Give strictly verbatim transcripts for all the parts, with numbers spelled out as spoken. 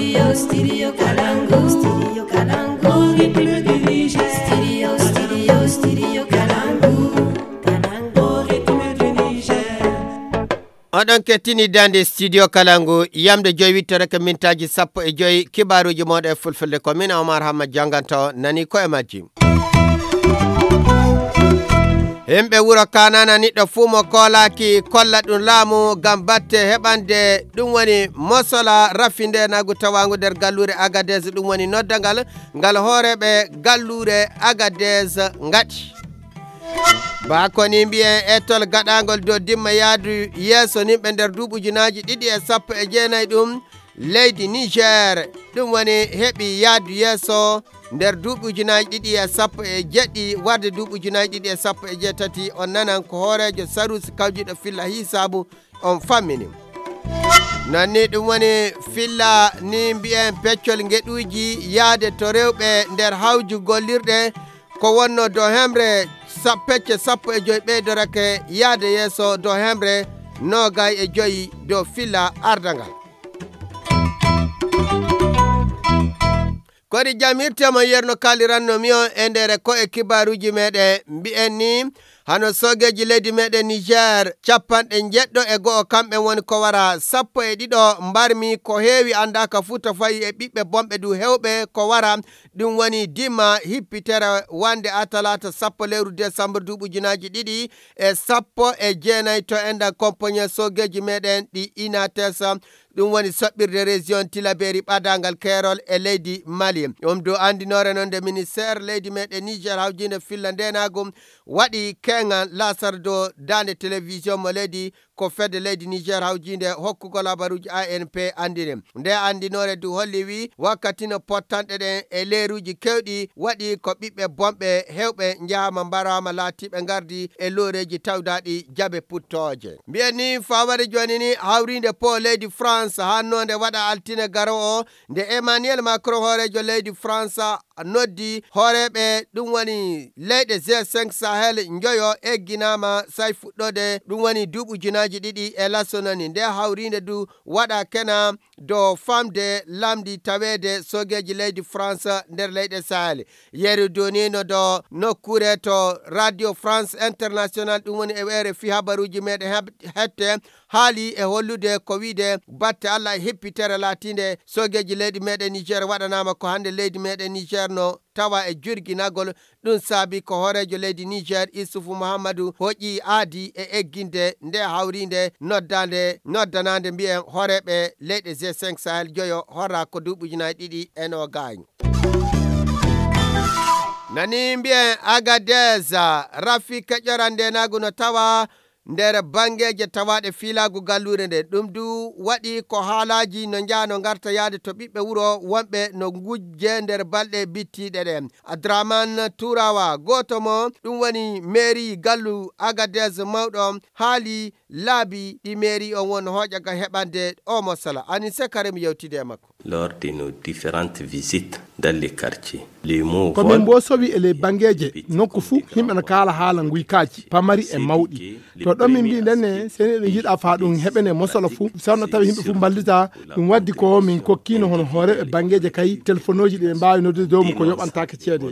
Studio Kalangu, Studio Kalangu, Studio, Studio, Studio Kalangu, Kalangu, Oɗon kettini dande studio Kalangu, yamde joyi wittoreke mintaaji sappo e joyi, kibaaruuji mooɗon e fulfulde ko min Omar Hamma jannganto nani ko e majji. Himɓe wuro Kanana niɗɗo fuu mo koolaaki kolla ɗum laamu ngam batte heɓande ɗum woni mosola rafi ndeenagu tawaangu nder galluure Agadez ɗum woni noddangal ngal hooreeɓe galluure Agadez ngaɗi. Ba ko ni mbiyen etol gaɗaangol dow dimma yaadu yeeso nimɓe nder duuɓi ujunaaji ɗiɗi e sappo e jeenayi ɗum leydi Niger ɗum woni heɓi yaadu yeeso nder duuɓi ujunaaji ɗiɗi e sappo e jeɗɗi warde duuɓi ujunaaji ɗiɗi e sappo e jeetati on nanan ko hooreejo sarusi kawjuɗo filla hisaabu on fammini. Non ni ɗum woni filla ni mbiyen peccol ngeɗuuji yaade to rewɓe nder hawju gollirɗe ko wonno dow hemre sa- pecce sappo e joyi ɓeydorake yaade yeeso dow hemre noogay e joyi dow filla ardangal. Kodi jam hirte mo yerno kaaliranno mi on e ndere ko e kibaaruuji meɗen mbi'en ni hano soogeeji leydi meɗen Niger capanɗe njeɗɗo e go'o kamɓe woni ko wara sappo e ɗiɗo mbarmi ko heewi anndaaka fuu to fayi e ɓiɓɓe bonɓe du hewɓe ko wara ɗum woni dima hippitere wande a talaata sappo lewru desambur duuɓi ujunaaji ɗiɗi e sappo e jeenayi to enɗan kompoñe soogeeji meɗen ɗi inates ɗum woni soɓɓirde région tilaberi ɓadaangal keerol e leydi mali ɗum dow anndinoore noon nde ministére leydi meɗen niger hawjinde filla ndenaagu waɗi keŋan lasar dow daande télévision mo leydi ko fedde leydi niger hawjinde hokkugol habaruuji anp anndini nde anndinoore du holli wi wakkati no pottanɗe ɗen e leeruuji kewɗi waɗi ko ɓiɓɓe bonɓe hewɓe njahaama mbaraama laatiiɓe ngardi e looreeji tawdaaɗi jabe puttooje mbiyen ni fawade jooni ni hawriinde po leydi france hannoonde waɗa altine garowo o nde emmanuel macron hooreejo leydi france noddi hooreeɓe ɗum woni leyɗe g cinq sahel njoyo egginaama say fuɗɗoode ɗum woni duuɓi ujunaaji ɗiɗi e laso nani nde hawriinde du waɗa kena dow famde lamdi taweede soogeeji leydi france nder leyɗe sahel yeru donino do nokkure to radio france international ɗum woni e rfi habaruuji meɗen heb- hette haali e hollude ko wiide batte allah e hippitere laatiinde soogeeji leydi meɗen niger waɗanaama ko hannde leydi meɗen niger no tawa e jurginagol ɗum saabi ko hooreejo leydi niger isufu mouhammadu hoƴƴi aadi e egginde nde hawriinde noddaande noddanaande mbiyen hooreeɓe leyɗe g cinq sahel joyo horra ko duuɓi ujunaaji ɗiɗi e noogaayi nani mbiyen agadez rafi keƴoran ndenaagu no tawa nder banngeeje tawaaɗe fiilaagu galluure nde ɗum du waɗi ko haalaaji no njaha no ngarta yahde to ɓiɓɓe wuro wonɓe no ngujje nder balɗe bittiiɗe ɗe adraman turawa gooto mo ɗum woni mairie gallu agadez mawɗo haali laabi ɗi mairie on won hooƴa ga heɓande o mosala anise karim yewtide e makko lors de nos différentes visites dans les quartiers. Les mots ko min mbo sowi e ley banngeeje nokku fuu yimɓe no kaala haala nguykaaji pamari e mawɗi to ɗon min mbi ndenne seni eɗen njiɗa faa ɗum heɓene mosala fuu sawno tawi yimɓe fuu mballita ɗum waddi ko min kokkiino hono hooreeɓe banngeeje kay telefonooji ɗi ɓe mbaawi noddude dow mum ko yoɓantaake ceede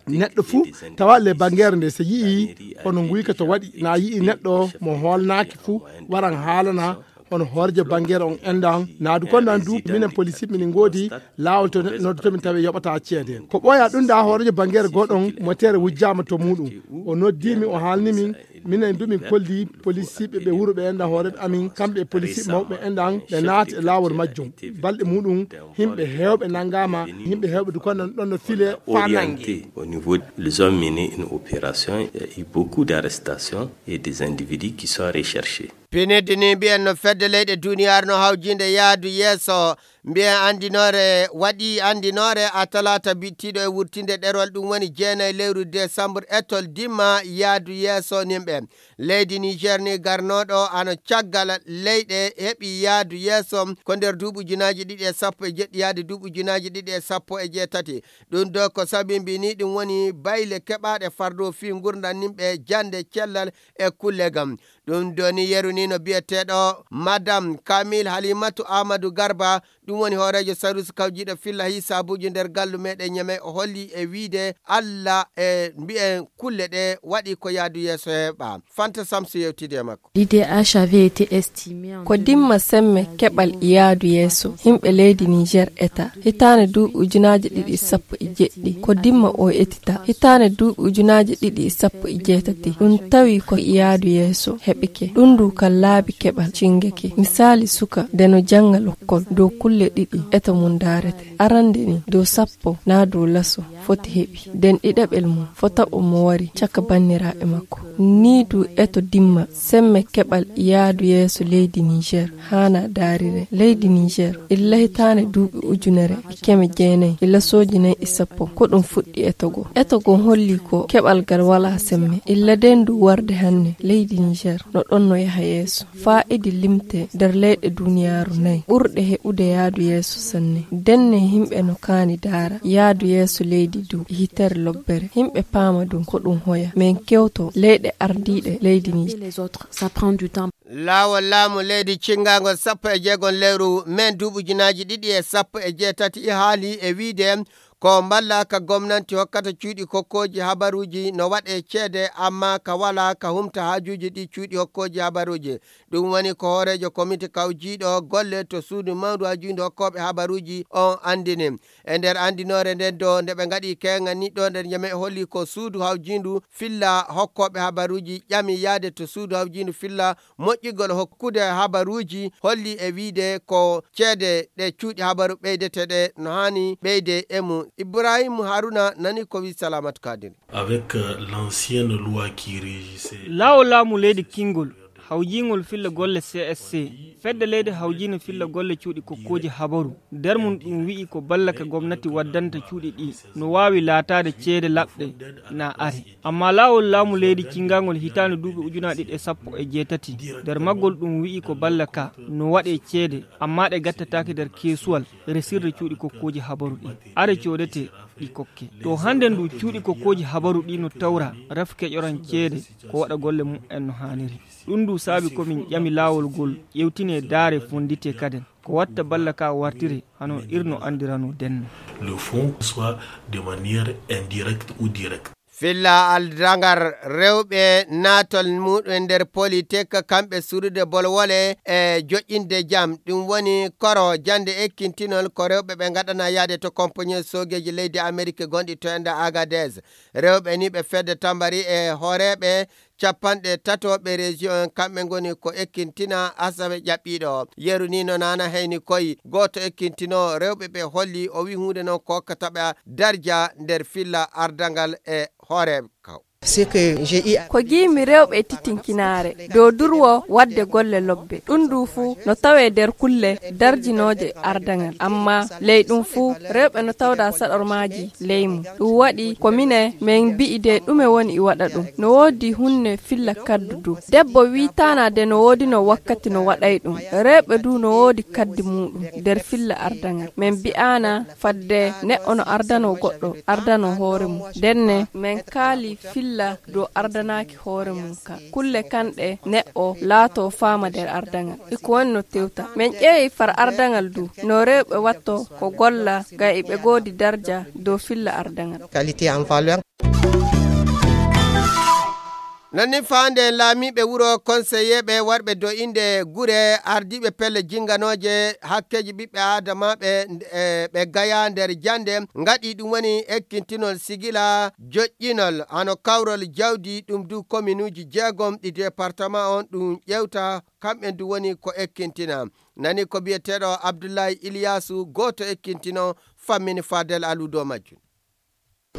neɗɗo fuu tawa le banngeere nde so yii hono nguyka to waɗi na yii neɗɗo mo hoolnaaki fuu waran haalana hono hoorejo banngeere on endan naadu kon nan du minen polisi minen ngoodi laawol to neɗɗo noddu to min tawi yoɓata ceede ko ɓooya ɗum da hoorejo banngeere gooɗon motere wujjaama to muɗum o noddi min o haalni min minen du min kolli polisiɓe ɓe wuro ɓe endan hooreɓe amin kamɓe e polisiɓe mawɓe endan ɓe naati e laawol majjum balɗe muɗum yimɓe heewɓe nanngaama yimɓe heewɓe du kon nan ɗon no file faa nannge au niveau ils ont mené une opération il y a eu beaucoup d'arrestations et des individus qui sont recherchés pinidde ni mbiyen no fedde leyɗe duniyaaru no hawjinde yaadu yeeso mbiyen anndinoore waɗi anndinoore a talaata bittiiɗo e wurtinde ɗerol ɗum woni jeenayi lewru décembre etol dimma yaadu yeeso nimɓe leydi niger ni garnooɗo ano caggal leyɗe heɓi yaadu yeeso ko nder duuɓi ujunaaji ɗiɗi e sappo e jeɗɗi yaade duuɓi ujunaaji ɗiɗi e sappo e jeetati ɗum ɗo ko sabimbi ni ɗum woni bayle keɓaaɗe fardo fii ngurndan nimɓe jannde cellal e kulle gam ɗum doni yeru ni no biyeteeɗo madame camille halimatu amadou garba Woni hooreejo sarusi kawjiiɗo filla hisaabuuji nder gallu meɗen Ñamey, o holli e wiide Alla e mbiyen kulle ɗe waɗi ko yaadu yeeso heɓa. Fanta Samsu yewtidi e makko. L'I D H avait été estimé en Ko dimma semme keɓal yaadu yeeso yimɓe leydi Niger eta hitaande duuɓi ujunaaji ɗiɗi sappo e jeɗɗi. Ko dimma o etita hitaande duuɓi ujunaaji ɗiɗi sappo e jeetati. Ɗum tawi ko yaadu yeeso heɓike. Ɗum ndu ka laabi keɓal cingeke. Misali suka nde no jannga lokkol dow kulle ɗiɗi eto mum daarete. Arande ni dow sappo na dow laso foti heɓi. Den ɗiɗaɓel mum fota o mo wari caka banniraaɓe makko. Ni du eto dimma semme keɓal yaadu yeeso leydi Niger. Haana daarire leydi Niger illa hitaande duuɓi ujunere e keme jeenayi e lasooji nayi e sappo. Ko ɗum fuɗɗi eto go. Eto go holli ko keɓal gal wala semme. Illa den du warde hanne leydi Niger no ɗon no yaha yeeso. Faa'idi limte nder leyɗe duniyaaru nayi ɓurɗe heɓude yaadu yeeso sanne. Denne yimɓe no kaani daara yaadu yeeso leydi du e hitere lobbere. Yimɓe paama du ko ɗum hoya. Men kewto leyɗe ardiiɗe leydi Niger. Laawol laamu leydi cinngangol sappo e jeegom lewru men duuɓi ujunaaji ɗiɗi e sappo e jeetati haali e wiide ko mballa ka gomnanti hokkata cuuɗi kokkooji habaruuji no waɗe ceede, amma ka wala ka humta haajuuji ɗi cuuɗi hokkooji habaruuji. Ɗum woni ko hooreejo komite kawjiiɗo golle to suudu mawndu haajuuji hokkooɓe habaruuji on anndini. E nder anndinoore nden do nde ɓe ngaɗi keeŋa ni ɗo nder Ñamey holli ko suudu hawjiindu filla hokkooɓe habaruuji ƴami yaade to suudu hawjiindu filla moƴƴigol hokkude habaruuji holli e wiide ko ceede ɗe cuuɗi habaru ɓeydete ɗe no haani ɓeyde e mum. Ibrahim Haruna nani ko wi Salamatu Kadiri. Avec euh, l'ancienne loi qui régissait Laawol laamu leydi kingol hawjiingol filla golle C S C, fedde leydi hawjiino filla golle cuuɗi kokkooji habaru. Nder mum ɗum wi'i ko balla ka gomnati waddanta cuuɗi ɗi no waawi laataade ceede laɓɗe na are. Amma laawol laamu leydi cinngangol hitaande duuɓi ujunaaji ɗiɗi e sappo e jeetati, nder maggol ɗum wi'i ko balla ka no waɗe ceede, amma ɗe gattataake nder keesuwal resirde cuuɗi kokkooji habaru ɗi. Are coodete ɗi kokke. To hannde ndu cuuɗi kokkooji habaru ɗi no tawra raf keƴoran ceede ko waɗa golle mum en no haaniri. Ɗum ndu saabi ko min ƴami laawol ngol ƴewtine daare fonndite kaden. Ko watta balla ka wartire hano irno anndirano denno. Le fond, soit de manière indirecte ou directe. Filla aldangal rewɓe naatol muɗum nder politik kamɓe surude bolwole e joƴƴinde jam. Ɗum woni koro jannde ekkintinol ko rewɓe ɓe ngaɗana yaade to compagnie soogeeji leydi Amerik gonɗi to enda Agadez. Rewɓe ni ɓe fedde tambari e hooreeɓe capanɗe tatooɓe région en kamɓe ngoni ko ekkintina asawe ƴaɓɓiiɗo. Yeru ni no nana heyni koy gooto ekkintino rewɓe ɓe holli o wi huunde noon ko hokkata ɓe darja nder filla ardangal e hooreeɓe kaw. Ko giimi rewɓe e titinkinaare dow durwo waɗde golle lobbe. Ɗum ndu fuu no tawee nder kulle darjinooje ardangal. Amma ley ɗum fuu rewɓe no tawda saɗormaaji ley mum. Ɗum waɗi ko minen min mbi'i de ɗume woni e waɗa ɗum. No woodi hunne filla kaddu du. Debbo wiitaana de no woodino wakkati no waɗay ɗum. Rewɓe du no woodi kaddi muuɗum nder filla ardangal. Min mbi'aana fadde neɗɗo no ardano goɗɗo, ardano hoore mum. Ndenne min kaali filla dow ardanaaki hoore mum ka. Kulle kanɗe neɗɗo laato faama nder ardangal. Iko woni no tewta. Min ƴeewi far ardangal du, no rewɓe watto ko golla ngam iɓe goodi darja dow filla ardangal. Nani faande laamiiɓe wuro konseyeeɓe warɓe do innde gure ardiiɓe pelle jinganooje hakkeeji ɓiɓɓe aadamaaɓe e ɓe gaya nder jannde ngaɗi ɗum woni ekkintinol sigila joƴƴinol hano kawrol jawdi ɗum du kominuuji jeegom ɗi departement on ɗum ƴewta kamɓe du woni ko ekkintina. Nani ko biyeteeɗo Abdullahi Iliyasu gooto ekkintino fammini Fadel Aludo majjum.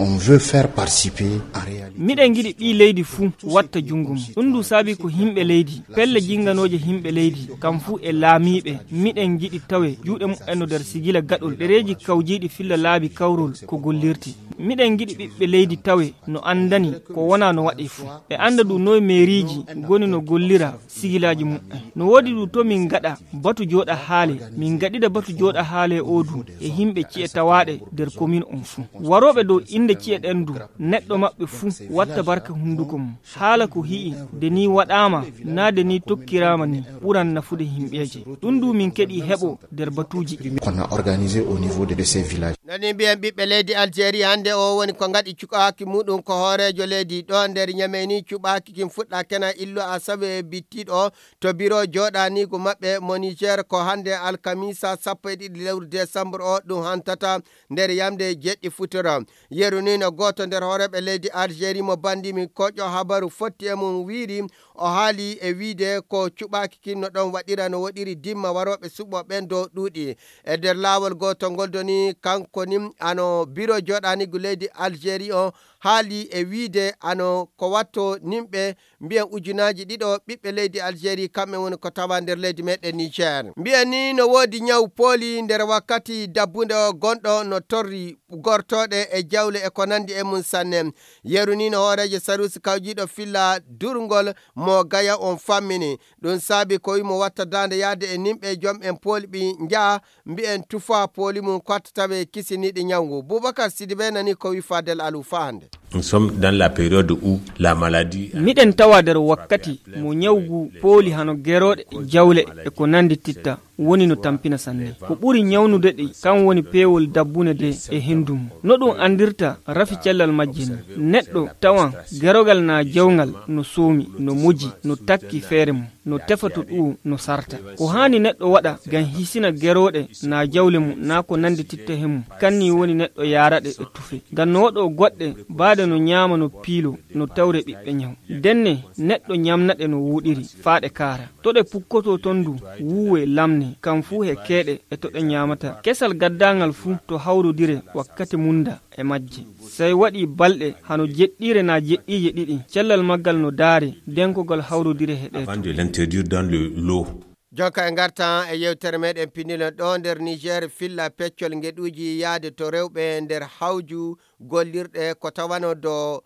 On veut faire participer en réalité. Miɗen ngiɗi ɓii leydi fuu watta junngo mum. Ɗum ndu saabi ko yimɓe leydi, pelle jinnganooje yimɓe leydi, kam fuu e laamiiɓe, miɗen ngiɗi tawe juuɗe mumen no nder sigila gaɗol ɗereeji kawjiiɗi filla laabi kawrol ko gollirti. Miɗen ngiɗi ɓiɓɓe leydi tawe no anndani ko wona no waɗi fuu. Ɓe annda du noy meeriiji ngoni no gollira sigilaaji mumen. No woodi du to min ngaɗa batu jooɗa haale, min ngaɗida batu jooɗa haale o du e yimɓe ci'e tawaaɗe nder komin on fuu. Warooɓe dow Ɓiɓɓe ci'e ɗen du, neɗɗo maɓɓe fuu watta barka hunduko mum. Haala ko hi'i, de ni waɗaama, naa de ni tokkiraama ni, ɓuran nafude himɓeeje. Ɗum du min keɗi heɓo nder batuuji ɗi. Qu'on a organisé au niveau de ces villages. Nani mbiyen ɓiɓɓe leydi Algérie hannde o woni ko ngaɗi cuɓaaki muɗum ko hooreejo leydi ɗo nder Ñamey ni cuɓaaki kin fuɗɗa kena illu asawe bittiɗo to biro jooɗaniigu maɓɓe mo Niger ko hannde alkamisa sappo e ɗiɗi lewru décembre o ɗum hantata nder yamde jeɗɗi futuro. Yeru ni no gooto nder hooreeɓe leydi Algérie mo banndi min koƴo habaru fotti e mum wiiri o haali e wiide ko cuɓaaki kin no ɗon waɗira no woɗiri dimma warooɓe suɓo ɓen dow ɗuuɗi. E nder laawol gooto ngol doni kanko ni ano biro jooɗaniigu leydi Algérie o haali e wiide ano ko watto nimɓe mbiyen ujunaaji ɗiɗo ɓiɓɓe leydi Algérie kamɓe woni ko tawa nder leydi meɗen Niger. Mbiyen ni no woodi ñaw pooli nder wakkati dabbunde o gonɗo no torri gortooɗe e jawle e ko nandi e mum sanne. Yeru ni no hooreejo sarusi kawjiiɗo filla durngol mo gaya on fammini. Ɗum saabi ko wimo watta daande yaade e nimɓe jom en pooli ɓi njaha mbiyen tufa pooli mum ko watta tawe kisiniiɗi ñaw ngu. Boubacar Sidibé nani ko wi Fadel Alou fa hannde. Nous sommes dans la période où la maladie. Miɗen tawa nder wakkati mo ñawgu pooli hano gerooɗe, jawle e ko nandi titta woni no tampina sanne. Ko ɓuri ñawnude ɗi kan woni peewol dabbune de e hendu mum. No ɗum andirta rafi cellal majje ni. Neɗɗo tawan gerogal na jawngal no soomi, no moji, no takki feere mum, no tefa to ɗuwo, no sarta. Ko haani neɗɗo waɗa ngam hisina gerooɗe na jawle mum na ko nandi titta he mum, kanni woni neɗɗo yaara ɗe e tufe. Ngam no waɗo goɗɗe baade no ñaama no piilo no tawre ɓiɓɓe ñaw. Denne neɗɗo ñamna ɗe no wuuɗiri faa ɗe kaara. To ɗe pukkoto ton du wuuwe lamne kam fuu he keeɗe e to ɗe ñaamata. Kesal gaddaangal fuu to hawrodire wakkati munda e majje. Sey waɗi balɗe hano jeɗɗiire na jeɗɗiije ɗiɗi. Cellal maggal no daare denkogol hawrodire he ɗe. Avant de l'introduire dans le lot. Jonka e ngartan e yewtere meɗen pinilon ɗo nder Niger filla peccol ngeɗuuji yaade to rewɓe nder hawju gollirɗe ko tawano do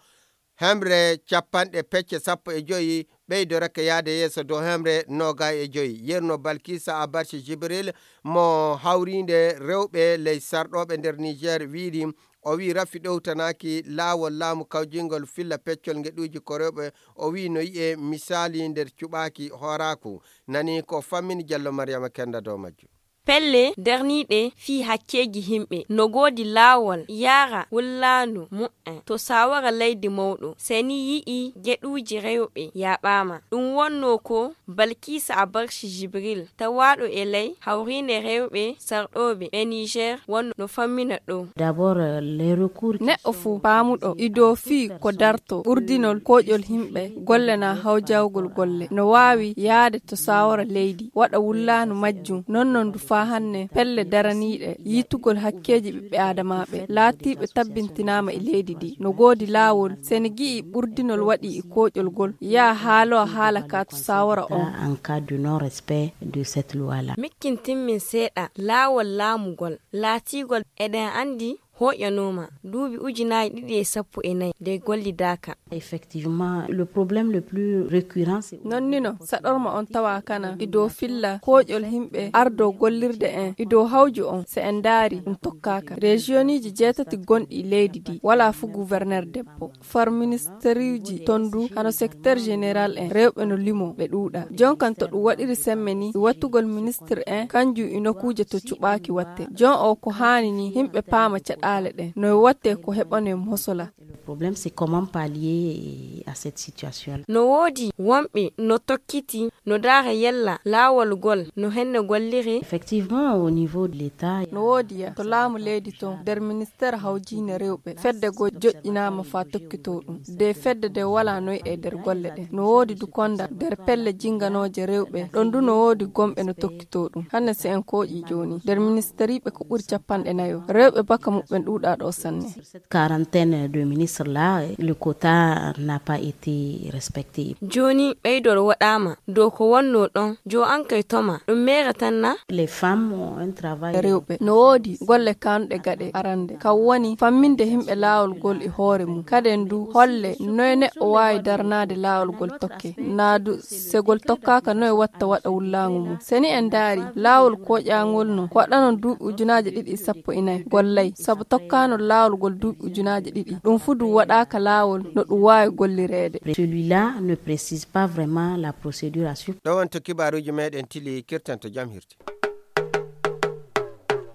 hemre capanɗe pecce sappo e joyi ɓeydo reke yaade yeeso dow hemre noga e joyi. Yerno Balkisa Abarci Jibril mo hawrinde rewɓe ley sarɗoɓe nder Niger wiiri o wi rafi ɗowtanaki laawol laamu kawjingol filla peccol ngeɗuuji ko rewɓe o wi no yi'e misaali nder cuɓaaki hooraaku. Nani ko fammini Jallo Mariama Kenda dow majjum. Pelle darniiɗe fii hakkeeji himɓe no goodi laawol yaara wullaandu mu'en to saawara leydi mawɗo seni yi'i geɗuuji rewɓe yaaɓaama. Ɗum wonno ko Balkisa Abarshi Jibril tawaaɗo e ley hawriinde rewɓe sarɗooɓe e Niger wonno no fammina ɗo. D'abord, les recours qui neɗɗo sont fuu paamuɗo ido fii ko darto ɓurdinol koƴol himɓe golle na hawjawgol golle no waawi yaade to saawara leydi waɗa wullaanu majjum. Non non du faa hannde pelle daraniiɗe yiitugol hakkeeji ɓiɓɓe aadamaaɓe laatiiɓe tabbintinaama e leydi ndi no goodi laawol sene gi'i ɓurdinol waɗi e koƴol gol yaa haalo haala ka to saawara on. En cas de non respect de cette loi là. Mikkintin min seeɗa laawol laamugol laatigol eɗen anndi hoƴanooma duuɓi ujunaaji ɗiɗi e sappo e nayi nde gollidaaka. Effectivement, le problème le plus récurrent, c'est nonnino saɗorma on tawa kana e dow filla koƴol himɓe ardo gollirde en e dow hawju on. So en ndaari ɗum tokkaaka rejiyoniji jeetati gonɗi e leydi ndi wala fu gouverneur debbo far ministeruji ton du hano secteur général en rewɓe no limo ɓe ɗuuɗa. Jon kan to ɗum waɗiri semme ni e wattugol ministre en kanjum e nokkuuje to cuɓaaki watte. Jon o ko haani ni himɓe paama caɗaale ɗen no e watte ko heɓane mosola. Le problème, c'est comment pallier à cette situation là. No woodi wonɓe no tokkiti no daara yella laawol gol no henne gollire. Effectivement, au niveau de l'état, no woodi ya to laamu leydi ton nder ministère hawjiine rewɓe fedde go joƴƴinaama faa tokkitoo ɗum de fedde de wala noy e nder golle ɗen. No woodi du konda nder pelle jinganooje rewɓe ɗon du no woodi gomɓe no tokkitoo ɗum. Hannde si en kooƴi jooni nder ministériiɓe ko ɓuri capanɗe nayo rewɓe baka muɓɓen ɗuuɗaa ɗo sanne. Cette quarantaine de ministres. Cela, le quota n'a pas été respecté. Jooni ɓeydol waɗaama dow ko wonnoo ɗon. Jo an kay toma ɗum meere tan na? Les femmes ont un travail. Rewɓe no woodi golle kanuɗe gaɗe arande, kam woni famminde himɓe laawol ngol e hoore mum. Kaden du holle noy neɗɗo waawi daranaade laawol ngol tokke. Naa du se ngol tokkaaka noy watta waɗa wullaango mum. Se ni en ndaari laawol koƴaangol no ko waɗanon duuɓi ujunaaje ɗiɗi e sappo e nayi gollay, sabu tokkaano laawol ngol duuɓi ujunaaje ɗiɗi. Ɗum fu du waɗaaka laawol no ɗum waawi gollireede. Celui-là ne précise pas vraiment la procédure à suivre. Ɗo wonto kibaaruuji meɗen tili kirtanto jam hirti.